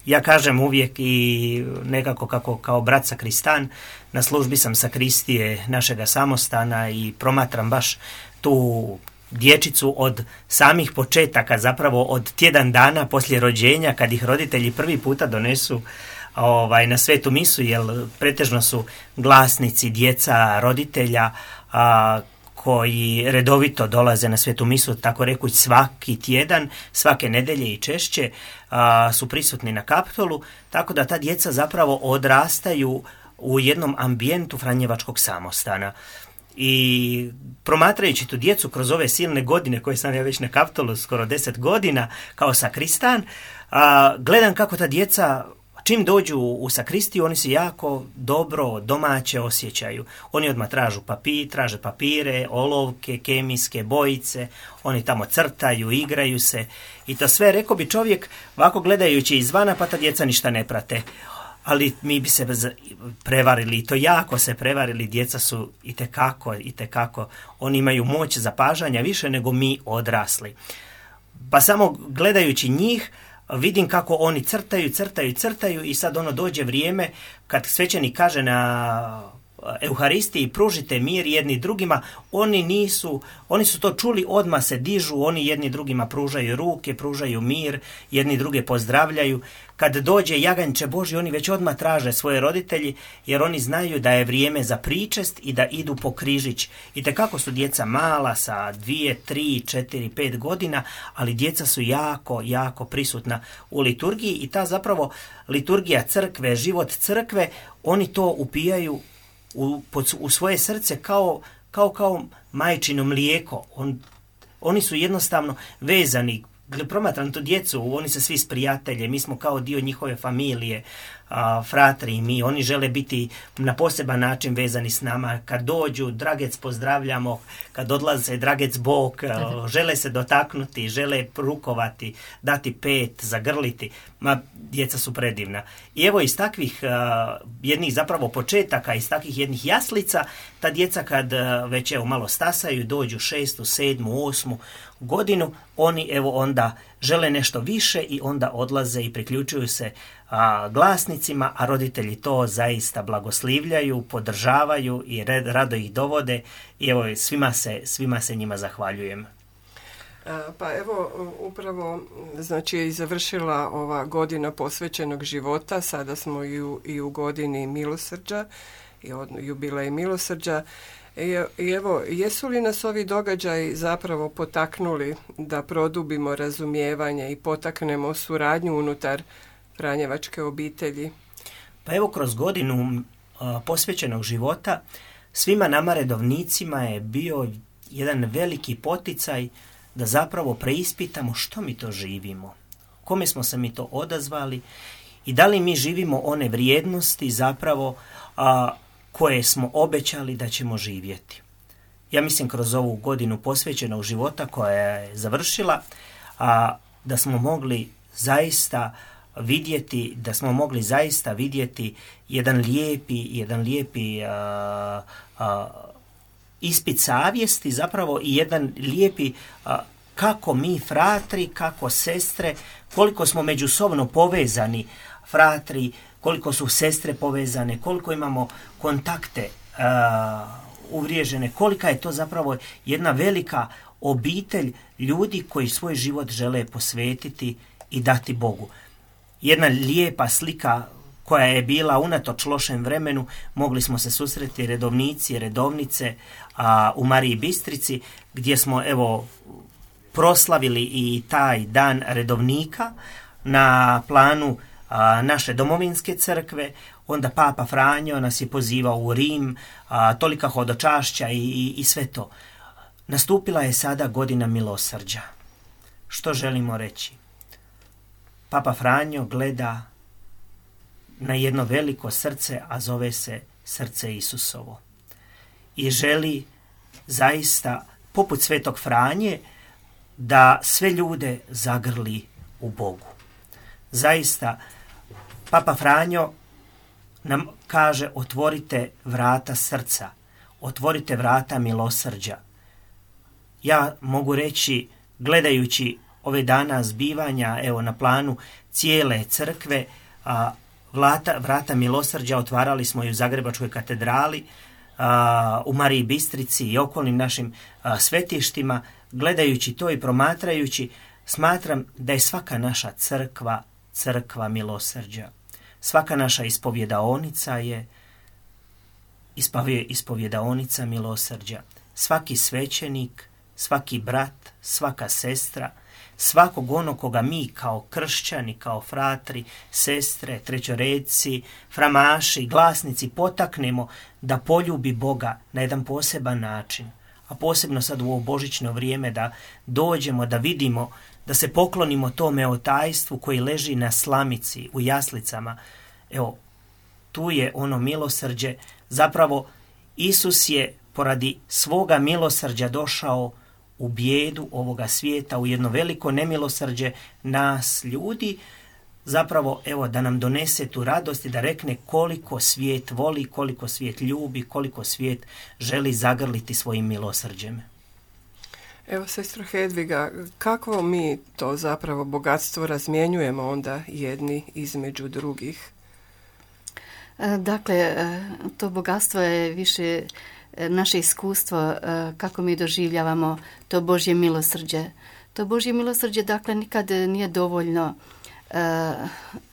ja kažem uvijek i nekako kao brat sakristan, na službi sam sakristije našega samostana i promatram baš tu dječicu od samih početaka, zapravo od tjedan dana poslije rođenja, kad ih roditelji prvi puta donesu na svetu misu, jer pretežno su glasnici djeca roditelja koji redovito dolaze na svetu misu, tako rekuć svaki tjedan, svake nedelje i češće su prisutni na Kaptolu, tako da ta djeca zapravo odrastaju u jednom ambijentu Franjevačkog samostana. I promatrajući tu djecu kroz ove silne godine koje sam ja već na Kaptolu, skoro 10 godina kao sakristan, gledam kako ta djeca čim dođu u sakristiju, oni se jako dobro domaće osjećaju. Oni odmah traže papire, olovke, kemijske bojice, oni tamo crtaju, igraju se i to sve, rekao bi čovjek, ovako gledajući izvana, pa ta djeca ništa ne prate. Ali mi bi se prevarili, i to jako se prevarili, djeca su itekako, oni imaju moć zapažanja više nego mi odrasli. Pa samo gledajući njih, vidim kako oni crtaju i sad dođe vrijeme kad svećenik kaže na Euharistiji pružite mir jedni drugima, oni su to čuli, odmah se dižu, oni jedni drugima pružaju ruke, pružaju mir, jedni druge pozdravljaju. Kad dođe jaganjče Božji, oni već odmah traže svoje roditelji, jer oni znaju da je vrijeme za pričest i da idu po križić. I tekako su djeca mala sa 2, 3, 4, 5 godina, ali djeca su jako prisutna u liturgiji i ta zapravo liturgija crkve, život crkve, oni to upijaju u svoje srce kao majčino mlijeko. Oni su jednostavno vezani. Promatram tu djecu, oni se svi s prijatelje, mi smo kao dio njihove familije, fratri i mi, oni žele biti na poseban način vezani s nama. Kad dođu, dragec pozdravljamo, kad odlaze, dragec bok, žele se dotaknuti, žele rukovati, dati pet, zagrliti. Djeca su predivna. I evo iz takvih jednih zapravo početaka, iz takvih jednih jaslica, ta djeca kad već malo stasaju, dođu 6., 7., 8. godinu, oni onda žele nešto više i onda odlaze i priključuju se glasnicima, a roditelji to zaista blagoslivljaju, podržavaju i rado ih dovode i evo svima se njima zahvaljujem. Pa evo, upravo je završila ova godina posvećenog života, sada smo i u godini milosrđa, i jubilej milosrđa. I evo, jesu li nas ovi događaji zapravo potaknuli da produbimo razumijevanje i potaknemo suradnju unutar Franjevačke obitelji? Pa evo, kroz godinu posvećenog života svima nama redovnicima je bio jedan veliki poticaj da zapravo preispitamo što mi to živimo, kome smo se mi to odazvali i da li mi živimo one vrijednosti zapravo koje smo obećali da ćemo živjeti. Ja mislim kroz ovu godinu posvećenog života koja je završila, da smo mogli zaista vidjeti jedan lijepi ispit savjesti zapravo i jedan lijepi kako mi fratri, kako sestre, koliko smo međusobno povezani fratri, koliko su sestre povezane, koliko imamo kontakte uvriježene, kolika je to zapravo jedna velika obitelj ljudi koji svoj život žele posvetiti i dati Bogu. jedna lijepa slika koja je bila unatoč lošem vremenu. Mogli smo se susreti redovnici i redovnice u Mariji Bistrici, gdje smo proslavili i taj dan redovnika na planu naše domovinske crkve. Onda Papa Franjo nas je pozivao u Rim, tolika hodočašća i sve to. Nastupila je sada godina milosrđa. Što želimo reći? Papa Franjo gleda na jedno veliko srce, a zove se srce Isusovo. I želi zaista, poput Svetog Franje, da sve ljude zagrli u Bogu. Zaista, Papa Franjo nam kaže: otvorite vrata srca, otvorite vrata milosrđa. Ja mogu reći, gledajući ove dana zbivanja, na planu cijele crkve, vrata milosrđa otvarali smo i u Zagrebačkoj katedrali, u Mariji Bistrici i okolnim našim svetištima. Gledajući to i promatrajući, smatram da je svaka naša crkva milosrđa. Svaka naša ispovjedaonica je ispovjedaonica milosrđa. Svaki svećenik, svaki brat, svaka sestra, svakog onog koga mi kao kršćani, kao fratri, sestre, trećoredci, framaši, glasnici potaknemo da poljubi Boga na jedan poseban način, a posebno sad u ovo božićno vrijeme da dođemo, da vidimo, da se poklonimo tome otajstvu koji leži na slamici, u jaslicama. Tu je ono milosrđe. Zapravo, Isus je poradi svoga milosrđa došao u bijedu ovoga svijeta, u jedno veliko nemilosrđe nas ljudi, zapravo da nam donese tu radost i da rekne koliko svijet voli, koliko svijet ljubi, koliko svijet želi zagrliti svojim milosrđem. Sestro Hedviga, kakvo mi to zapravo bogatstvo razmjenjujemo onda jedni između drugih? Dakle, to bogatstvo je više naše iskustvo kako mi doživljavamo to Božje milosrđe. To Božje milosrđe, dakle, nikad nije dovoljno.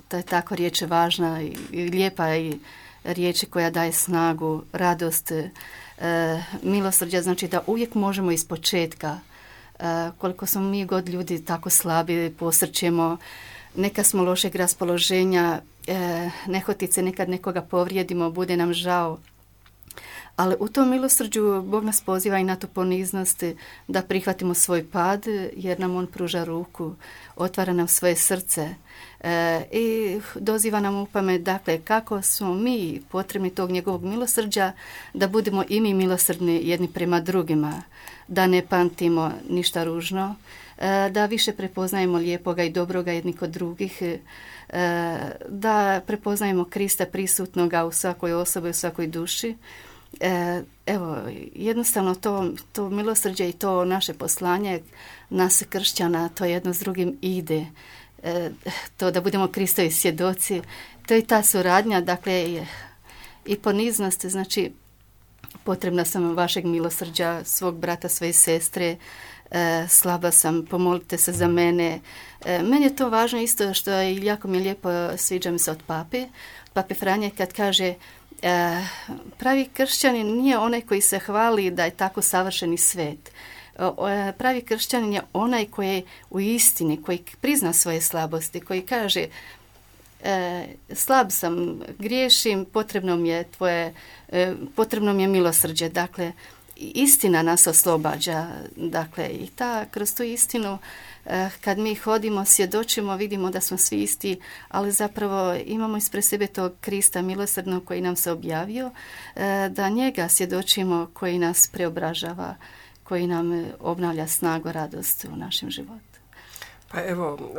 To je tako riječ važna i lijepa i riječ koja daje snagu, radost. Milosrđa znači da uvijek možemo iz početka, koliko smo mi god ljudi tako slabi, posrćemo, neka smo lošeg raspoloženja, nehotice nekad nekoga povrijedimo, bude nam žao. Ali u tom milosrđu Bog nas poziva i na tu poniznost da prihvatimo svoj pad, jer nam On pruža ruku, otvara nam svoje srce i doziva nam u pamet, dakle, kako smo mi potrebni tog njegovog milosrđa, da budemo i mi milosrdni jedni prema drugima, da ne pamtimo ništa ružno, da više prepoznajemo lijepoga i dobroga jedni kod drugih, da prepoznajemo Krista prisutnoga u svakoj osobi, u svakoj duši. Jednostavno to milosrđe i to naše poslanje nas kršćana, to jedno s drugim ide. To da budemo Kristovi svjedoci, to je ta suradnja, dakle, i poniznost, znači potrebna sam vašeg milosrđa, svog brata, svoje sestre, slaba sam, pomolite se za mene. Meni je to važno isto što je jako mi lijepo, sviđa mi se od Pape Franje kad kaže: pravi kršćanin nije onaj koji se hvali da je tako savršeni svet. Pravi kršćanin je onaj koji je u istini, koji prizna svoje slabosti, koji kaže: slab sam, griješim, potrebno mi je milosrđe. Dakle, istina nas oslobađa. Dakle, i kroz tu istinu, kad mi hodimo, svjedočimo, vidimo da smo svi isti, ali zapravo imamo ispred sebe tog Krista milosrdnog koji nam se objavio, da njega svjedočimo, koji nas preobražava, koji nam obnavlja snagu, radost u našem životu. Pa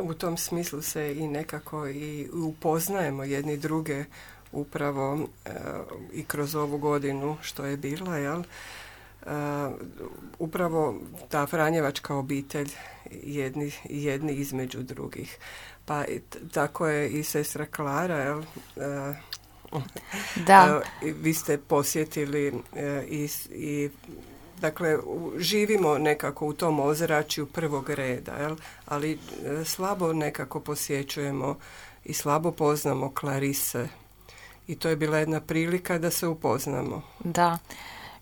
u tom smislu se i nekako i upoznajemo jedni druge upravo i kroz ovu godinu što je bila, jel? Upravo ta Franjevačka obitelj jedni između drugih. Pa tako je i sestra Klara, jel? Da. Vi ste posjetili i dakle, živimo nekako u tom ozračju prvog reda, jel? Ali slabo nekako posjećujemo i slabo poznamo Klarise. I to je bila jedna prilika da se upoznamo. Da.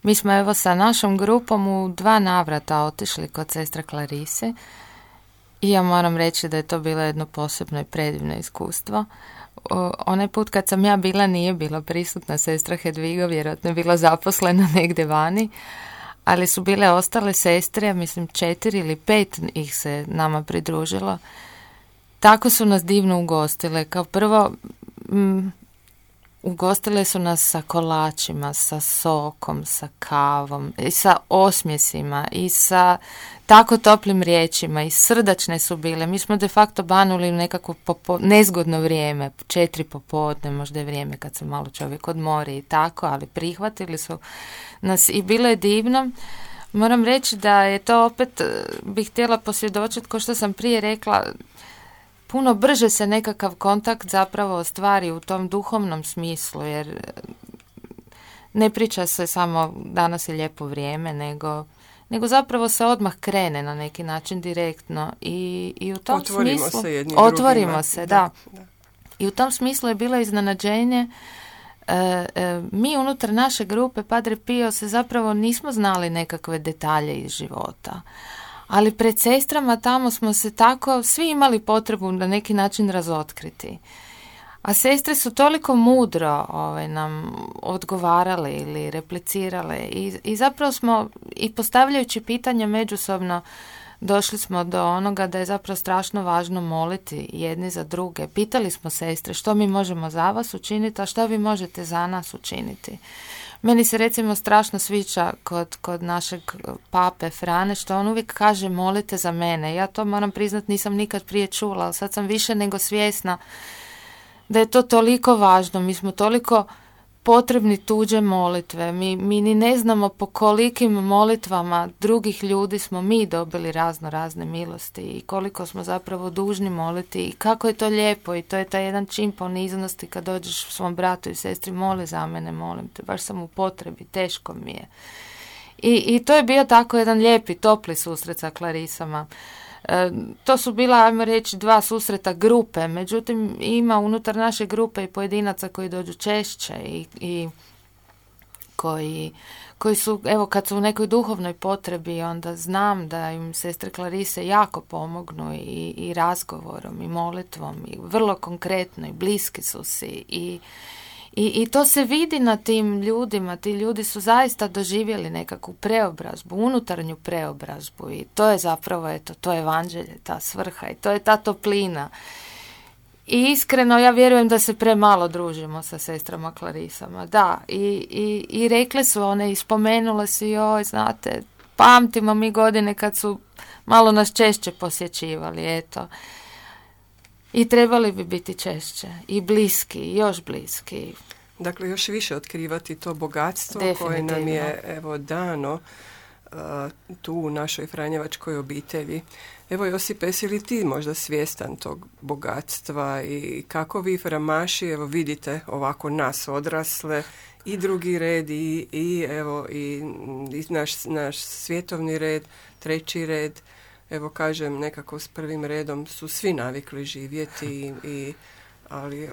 Mi smo evo sa našom grupom u 2 navrata otišli kod sestre Klarise i ja moram reći da je to bilo jedno posebno i predivno iskustvo. Onaj put kad sam ja bila nije bila prisutna sestra Hedviga, vjerojatno je bila zaposlena negdje vani, ali su bile ostale sestre, mislim 4 ili 5 ih se nama pridružilo. Tako su nas divno ugostile. Kao prvo, ugostile su nas sa kolačima, sa sokom, sa kavom, i sa osmjesima, i sa tako toplim riječima, i srdačne su bile. Mi smo de facto banuli u nekako nezgodno vrijeme, 4 popodne, možda je vrijeme kad se malo čovjek odmori i tako, ali prihvatili su nas i bilo je divno. Moram reći da je to opet, bih htjela posvjedočiti, kao što sam prije rekla, puno brže se nekakav kontakt zapravo ostvari u tom duhovnom smislu, jer ne priča se samo danas je lijepo vrijeme, nego zapravo se odmah krene na neki način direktno i u tom otvorimo smislu... se jednim otvorimo drugima. se, da. I u tom smislu je bilo iznenađenje. Mi unutar naše grupe Padre Pio se zapravo nismo znali nekakve detalje iz života. Ali pred sestrama tamo smo se tako, svi imali potrebu na neki način razotkriti. A sestre su toliko mudro nam odgovarale ili replicirale i zapravo smo, i postavljajući pitanja međusobno, došli smo do onoga da je zapravo strašno važno moliti jedni za druge. Pitali smo sestre što mi možemo za vas učiniti, a što vi možete za nas učiniti. Meni se recimo strašno sviđa kod našeg pape Frane što on uvijek kaže molite za mene. Ja to moram priznati nisam nikad prije čula, ali sad sam više nego svjesna da je to toliko važno. Mi smo toliko potrebni tuđe molitve. Mi ni ne znamo po kolikim molitvama drugih ljudi smo mi dobili razne milosti i koliko smo zapravo dužni moliti i kako je to lijepo i to je taj jedan čin poniznosti kad dođeš svom bratu i sestri moli za mene, molim te, baš sam u potrebi, teško mi je. I to je bio tako jedan lijepi, topli susret sa Klarisama. To su bila, ajmo reći, 2 susreta grupe, međutim ima unutar naše grupe i pojedinaca koji dođu češće i koji su, evo kad su u nekoj duhovnoj potrebi, onda znam da im sestre Klarise jako pomognu i razgovorom i molitvom i vrlo konkretno i bliski su si i to se vidi na tim ljudima. Ti ljudi su zaista doživjeli nekakvu preobrazbu, unutarnju preobrazbu i to je zapravo, eto, to je evanđelje, ta svrha i to je ta toplina. I iskreno ja vjerujem da se premalo družimo sa sestrama Klarisama. Da, i rekle su one i spomenule su joj, znate, pamtimo mi godine kad su malo nas češće posjećivali, eto. I trebali bi biti češće i bliski, još bliski. Dakle, još više otkrivati to bogatstvo koje nam je evo dano tu u našoj franjevačkoj obitelji. Evo Josipe, jesi li ti možda svjestan tog bogatstva i kako vi framaši, evo vidite ovako nas odrasle i drugi red i evo i naš svjetovni red, treći red, evo kažem nekako s prvim redom su svi navikli živjeti ali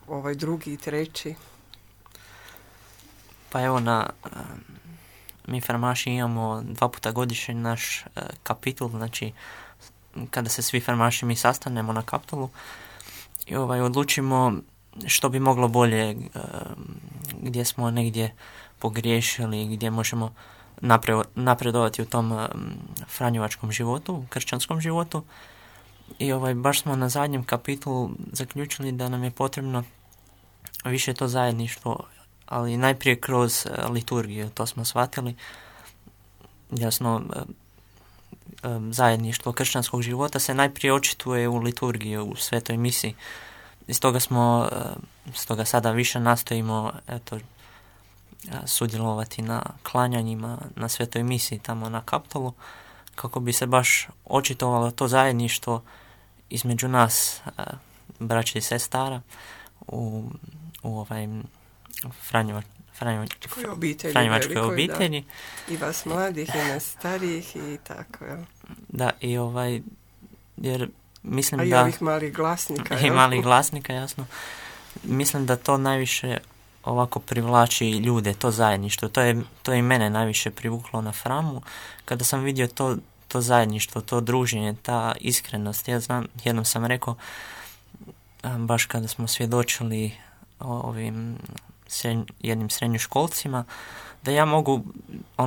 ovaj drugi i treći. Pa evo mi farmaši imamo 2 puta godišnje naš kapitul, znači kada se svi farmaši mi sastanemo na kapitulu i odlučimo što bi moglo bolje, gdje smo negdje pogriješili, gdje možemo napredovati u tom franjevačkom životu, kršćanskom životu. I baš smo na zadnjem kapitulu zaključili da nam je potrebno više to zajedništvo, ali najprije kroz liturgiju, to smo shvatili. Jasno, zajedništvo kršćanskog života se najprije očituje u liturgiji, u svetoj misi. I stoga sada više nastojimo sudjelovati na klanjanjima, na svetoj misi tamo na kapitolu, kako bi se baš očitovalo to zajedništvo između nas, braće i sestara, u franjevačkoj obitelji. Da. I vas mladih i nas starijih i tako, jel? Da, jer mislim a i da... ovih malih glasnika. I malih glasnika, jasno. Mislim da to najviše ovako privlači ljude, to zajedništvo. To je i mene najviše privuklo na Framu. Kada sam vidio to zajedništvo, to druženje, ta iskrenost. Ja znam, jednom sam rekao, baš kada smo svjedočili ovim jednim srednjoškolcima, da ja mogu,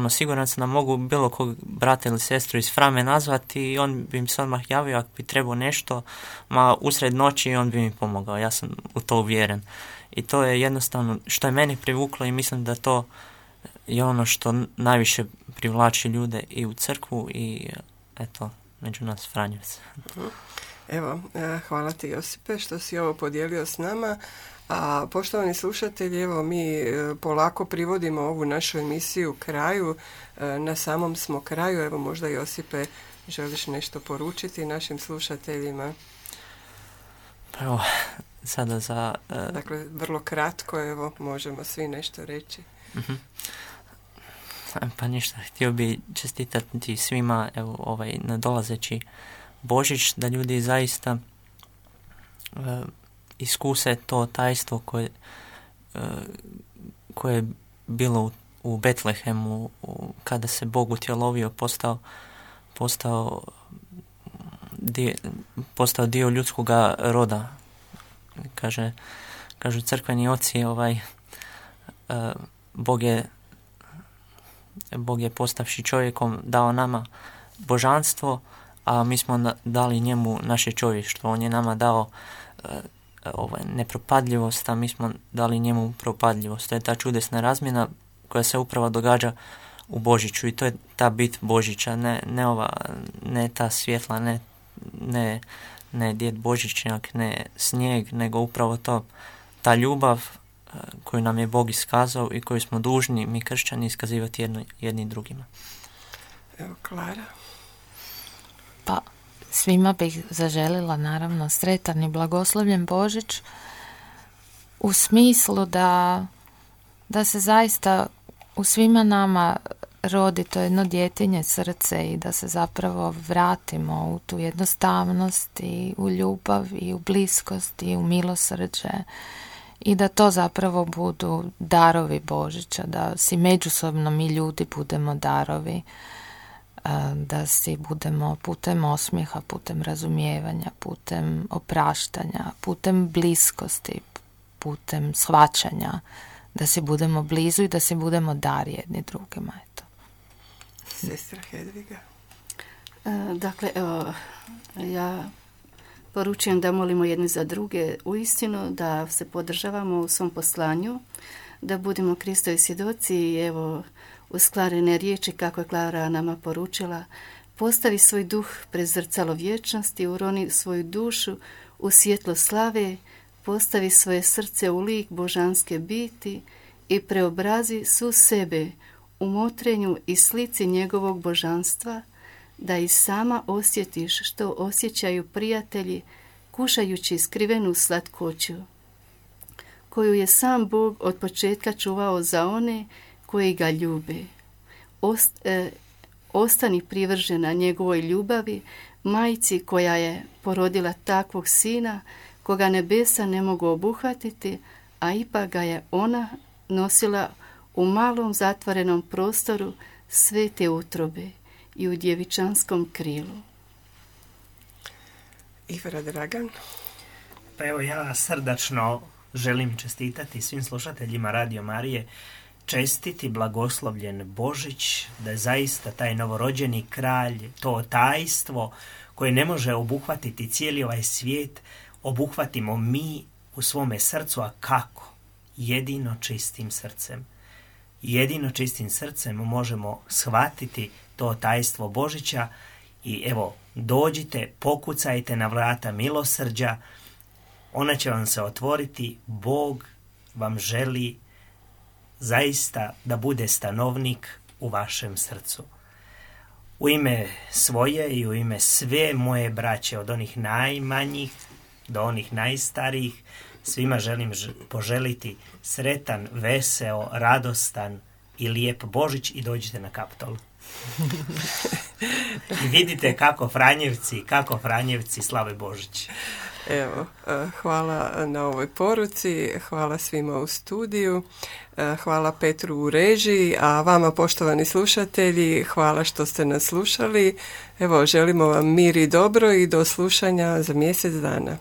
siguran sam da mogu bilo kog brata ili sestru iz Frame nazvati i on bi mi se odmah javio ako bi trebao nešto, usred noći on bi mi pomogao. Ja sam u to uvjeren. I to je jednostavno što je meni privuklo i mislim da to je ono što najviše privlači ljude i u crkvu i eto, među nas Franjevce. Evo, hvala ti Josipe što si ovo podijelio s nama. A poštovani slušatelji, evo mi polako privodimo ovu našu emisiju kraju. Na samom smo kraju. Evo možda Josipe želiš nešto poručiti našim slušateljima? Evo, sada za... Dakle, vrlo kratko, evo, možemo svi nešto reći. Uh-huh. Pa ništa, htio bi čestitati svima nadolazeći Božić, da ljudi zaista iskuse to tajstvo koje je bilo u Betlehemu kada se Bog utjelovio, postao dio ljudskoga roda. Kažu crkveni oci, Bog je postavši čovjekom dao nama božanstvo, a mi smo dali njemu naše čovještvo. On je nama dao nepropadljivost, a mi smo dali njemu propadljivost. To je ta čudesna razmjena koja se upravo događa u Božiću i to je ta bit Božića, ne ta svjetla, ne djed Božićnjak, ne snijeg, nego upravo to, ta ljubav koju nam je Bog iskazao i koju smo dužni mi kršćani iskazivati jedni drugima. Evo, Klara. Pa, svima bih zaželila naravno sretan i blagoslovljen Božić u smislu da se zaista u svima nama rodi to jedno djetinje srce i da se zapravo vratimo u tu jednostavnost i u ljubav i u bliskost i u milosrđe i da to zapravo budu darovi Božića, da si međusobno mi ljudi budemo darovi, da si budemo putem osmijeha, putem razumijevanja, putem opraštanja, putem bliskosti, putem shvaćanja, da si budemo blizu i da si budemo dar jedni drugima. Eto. Sestra Hedviga. Dakle, evo, ja poručujem da molimo jedni za druge uistinu, da se podržavamo u svom poslanju, da budemo Kristovi svjedoci i evo, uz Klarine riječi, kako je Klara nama poručila, postavi svoj duh pred zrcalo vječnosti, uroni svoju dušu u svjetlo slave, postavi svoje srce u lik božanske biti i preobrazi svu sebe u motrenju i slici njegovog božanstva, da i sama osjetiš što osjećaju prijatelji kušajući skrivenu slatkoću, koju je sam Bog od početka čuvao za one koji ga ljube. Ostani privržena njegovoj ljubavi, majci koja je porodila takvog sina, koga nebesa ne mogu obuhvatiti, a ipak ga je ona nosila u malom zatvorenom prostoru svete utrobe i u djevičanskom krilu. Ivara Dragan. Pa evo, ja srdačno želim čestitati svim slušateljima Radio Marije, čestiti blagoslovljen Božić, da je zaista taj novorođeni kralj, to tajstvo koje ne može obuhvatiti cijeli ovaj svijet, obuhvatimo mi u svome srcu, a kako? Jedino čistim srcem. Jedino čistim srcem možemo shvatiti to tajstvo Božića i evo, dođite, pokucajte na vrata milosrđa, ona će vam se otvoriti, Bog vam želi zaista da bude stanovnik u vašem srcu. U ime svoje i u ime sve moje braće, od onih najmanjih do onih najstarijih, svima želim poželiti sretan, veseo, radostan i lijep Božić i dođite na Kaptol. I vidite kako Franjevci slave Božić. Evo, hvala na ovoj poruci, hvala svima u studiju, hvala Petru u režiji, a vama poštovani slušatelji, hvala što ste nas slušali. Evo, želimo vam mir i dobro i do slušanja za mjesec dana.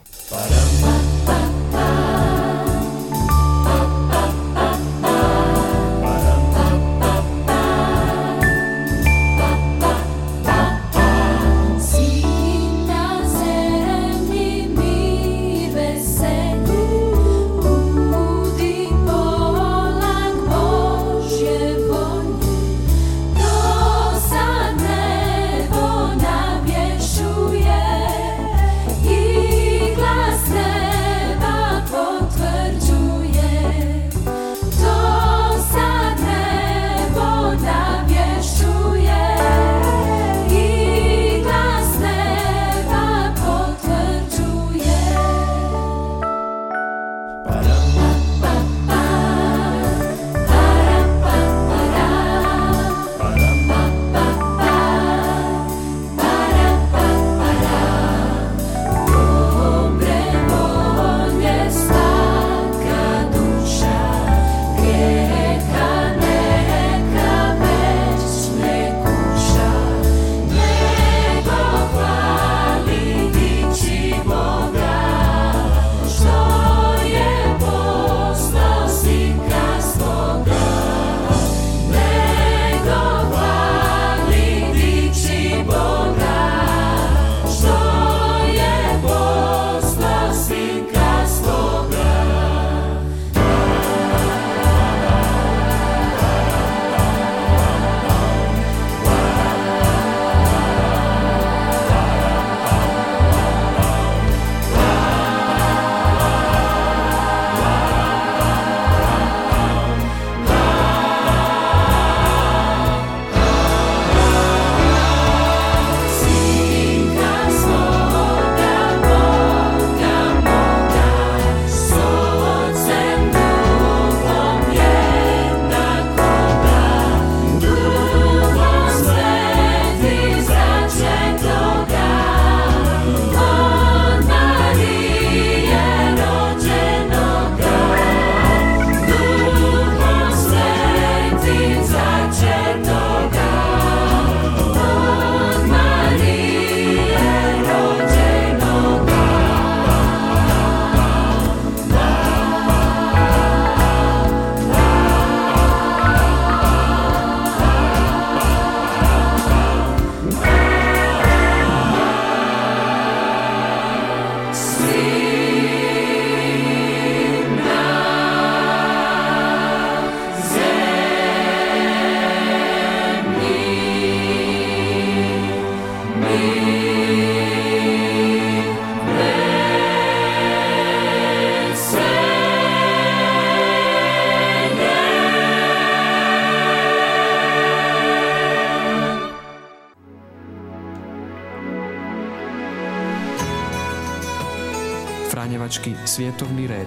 Franjevački svjetovni red.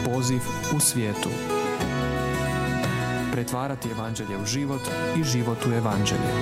Poziv u svijetu. Pretvarati evanđelje u život i život u evanđelje.